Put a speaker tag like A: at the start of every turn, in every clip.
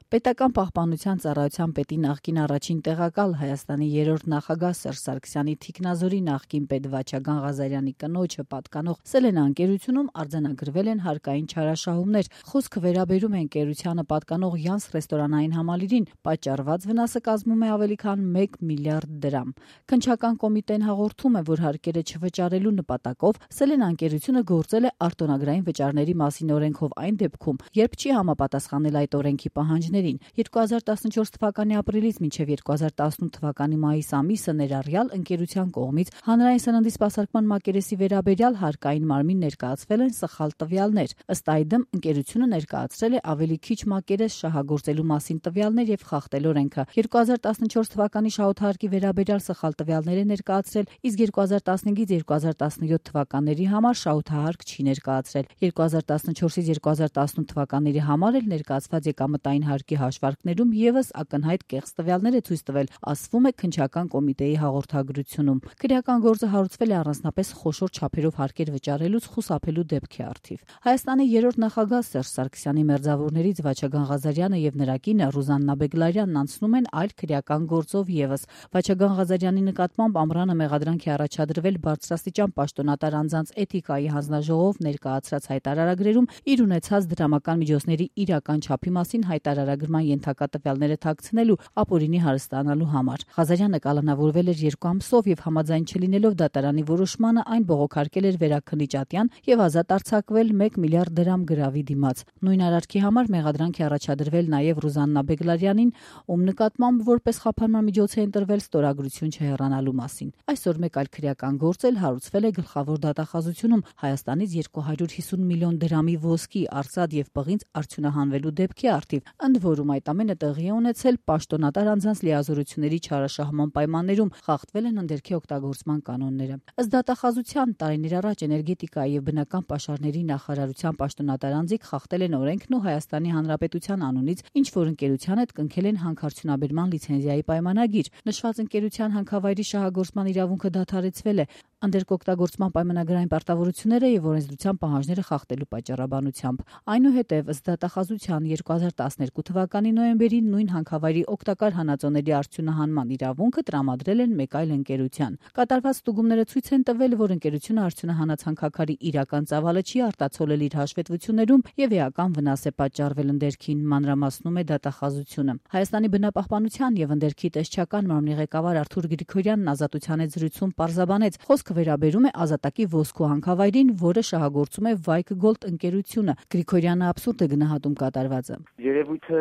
A: Պետական պահպանության ծառայության պետի նախկին առաջին տեղակալ Հայաստանի 3-րդ նախագահ Սերժ Սարգսյանի թիկնազորի նախկին պետ Վաչագան Ղազարյանի կնոջը պատկանող Սելենա ընկերությունում արձանագրվել են հարկային չարաշահումներ։ Խոսքը վերաբերում է ընկերությանը պատկանող Յանս ռեստորանային համալիրին, պատճառված վնասը կազմում է ավելի քան 1 միլիարդ դրամ։ Քննչական կոմիտեն հաղորդում է, որ հարկերը չվճարելու նպատակով Սելենա ընկերությունը գործել է արտոնագրային վճարների մասին օրենքով այն դեպքում, երբ չի համապատասխանել այդ օրենքի պահանջներին։ 2014 թվականի ապրիլից մինչև 2018 թվականի մայիս ամիսը ներառյալ ընկերության կողմից հանրային սննդի սպասարկման մակերեսի վերաբերյալ հարկային մարմին ներկայացվել են սխալ տվյալներ։ Ըստ այդմ ընկերությունը ներկայացրել է ավելի քիչ մակերես շահագործելու մասին տվյալներ եւ խախտել օրենքը։ 2014 թվականի շահութահարկի վերաբերյալ սխալ տվյալներ է ներկայացրել, իսկ 2015-ից 2017 թվականների համար շահութահարկ չի ներկայացրել։ 2014-ից 2018 թվականների համար էլ ներկայացված եկամտային հարկի հաշվարկներում եւս ակնհայտ կեղծ տվյալներ է ցույց տվել, ասվում է քննչական կոմիտեի հաղորդագրությունում։ Քրեական գործը հարուցվել է առանձնապես խոշոր չափերով հարկեր վճարելուց խուսափելու դեպքի առթիվ։ Հայաստանի 3-րդ նախագահ Սերժ Սարգսյանի մերձավորներից Վաչագան Ղազարյանը եւ նրա կինը Ռուզաննա Բեգլարյանն անցնում են այլ քրեական գործով եւս։ Վաչագան Ղազարյանի նկատմամբ ամռանը մեղադրանք է առաջադրվել բարձրաստիճան պաշտոնատար անձանց էթիկայի հանձնաժողով ներկայացրած հայտարարագրերում իր ունեցած դրամական միջոցների իրական չափի մասին հայտարարագրման ենթակա տվյալները թաքցնելու ապօրինի հարստանալու համար։ Ղազարյանը կալանավորվել էր 2 ամսով եւ համաձայն չլինելով դատարանի որոշմանը այն բողոքարկել էր վերաքննիչ ատյան եւ ազատ արձակվել 1 միլիարդ դրամ գրավի դիմաց։ Նույն արարքի համար մեղադրանք է առաջադրվել նաեւ Ռուզաննա Բեգլարյանին, ում նկատմամբ որպես խափանման միջոց է ընտրվել ստորագրություն չհեռանալու մասին։ Այսօր մեկ այլ քրեական գործ էլ հարուցվել է գլխավոր դատախազությունում Հայաստանից 250 միլիոն դրամի ոսկի, արծաթ եւ պղինձ արդյունահանվելու դեպքի առթիվ։ Ընդ որում այդ ամենը տեղի է ունեցել պաշտոնատար անձանց լիազորությունների չարաշահման պայմաններում, խախտվել են ընդերքի օգտագործման կանոնները։ Ըստ դատախազության տարիներ առաջ էներգետիկայի եւ բնական պաշարների նախարարության պաշտոնատար անձիկ խախտել են օրենքն ու Հայաստանի Հանրապետության անունից ինչ որ ընկերության հետ կնքել են հանքարդյունաբերման լիցենզիայի պայմանագիր։ Նշված ընկերության հանքավայրի շահագործման իրավունքը դադարեցվել է ընդերք օգտագործման պայմանագրային պարտավորությունները եւ օրենսդրության պահանջները խախտելու պատճառաբանությամբ։ Այնուհետև ըստ դատախազության 2012 թվականի նոյեմբերին նույն հանքավայրի օգտակար հանածոների արդյունահանման իրավունքը տրամադրել են մեկ այլ ընկերության։ Կատարված ստուգումները ցույց են տվել, որ ընկերությունը արդյունահանած հանքաքարի իրական ծավալը չի արտացոլել իր հաշվետվություններում եւ էական վնաս է պատճառվել ընդերքին, մանրամասնում է դատախազությունը։ Հայաստանի բնապահպանության եւ ընդերքի տեսչական մարմնի ղեկավար Արթուր Գրիգորյանն ազատության հետ զրույցում պարզաբանեց, խոսքը վերաբերում է Ազատակի ոսկու հանքավայրին, որը շահագործում է Վայք Գոլդ ընկերությունը։ Գրիգորյանը абսուրդ է գնահատում կատարվածը։
B: Երևույթը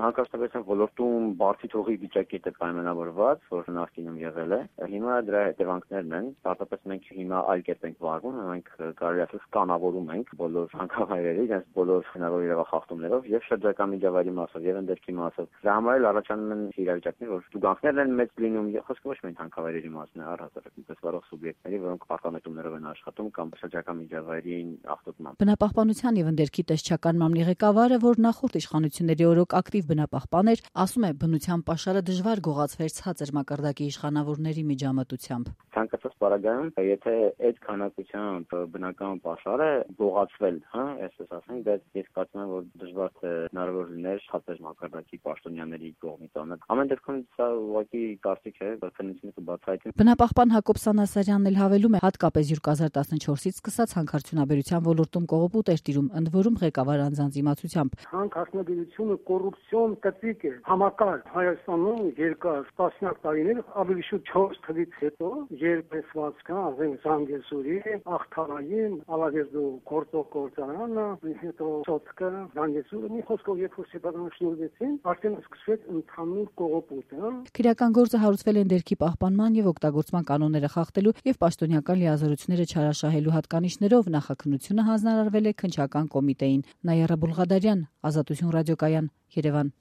B: հանքարդյունաբերության ոլորտում բարձի թողի վիճակի է պայմանավորված, որ նախկինում եղել է։ Հիմա դրա հետևանքներն են, պարզապես մենք հիմա այլ կերպ ենք վարվում, մենք կարելի ասել կանավորում ենք բոլոր հանքավայրերը, իրենց բոլոր հնարավոր իրավախախտումներով եւ շրջակա միջավայրի մասով եւ ընդերքի մասով։ Դրա համար էլ առաջանում են իրավիճակներ, որ ստուգանքներն են մեծ լինում, խոսքը ոչ միայն հանքավայրերի մասն է, առհասարակ այնպես վարող սուբյեկտների, որոնք պարտանետումներով են աշխատում կամ շրջակա միջավայրին ախտոտման։
A: Բնապահպանության եւ ընդերքի տեսչական մարմնի ղեկավարը, որ նախորդ իշխանությունների օրոք ակտիվ բնապահպան էր, ասում է, բնության պաշարը դժվար գողացվեր ցածր մակարդակի իշխանավորների միջամտությամբ։
B: Ցանկացած պարագայում, եթե այդ քանակությամբ բնական պաշարը գողացվել, այսպես ասենք, դա ես կարծում եմ, որ դժվար թե հնարավոր լիներ ցածր մակարդակի պաշտոնյաների կողմից անել։ Ամեն դեպքում սա ուղղակի կարծիք է, որ քննությունը կբացահայտի։
A: Բնապահպան Հակոբ Սանասարյանն էլ հավելում է, հատկապես 2014-ից սկսած հանքարդյունաբերության ոլորտում կողոպուտ էր տիրում, ընդ որում ղեկավար անձանց իմացությամբ։
C: Հանքարդյունաբերությունը կոռուպցիոն կծիկ է, համակարգ Հայաստանում երկար տասնյակ տարիներ, ավելի շուտ 4 թվականից հետո, երբ տեսվածքա, ասենք Զանգեզուրի, Ախթարային, Ալավերդու գործարանը, հետո Սոտկը, Զանգեզուրը, մի խոսքով երբ որ սեպարաշնորհվեցին, արդեն սկսվեց ընդհանուր կողոպուտը։
A: Քրեական գործը հարուցվել է ընդերքի պահպանման եւ օգտագործման կանոնները խախտելու եւ պաշտոնյական լիազորությունները չարաշահելու հատկանիշներով նախաքննությունը հանձնարարվել է քննչական կոմիտեին։ Նայարա Բուլղադարյան, Ազատություն ռադիոկայան, Երևան։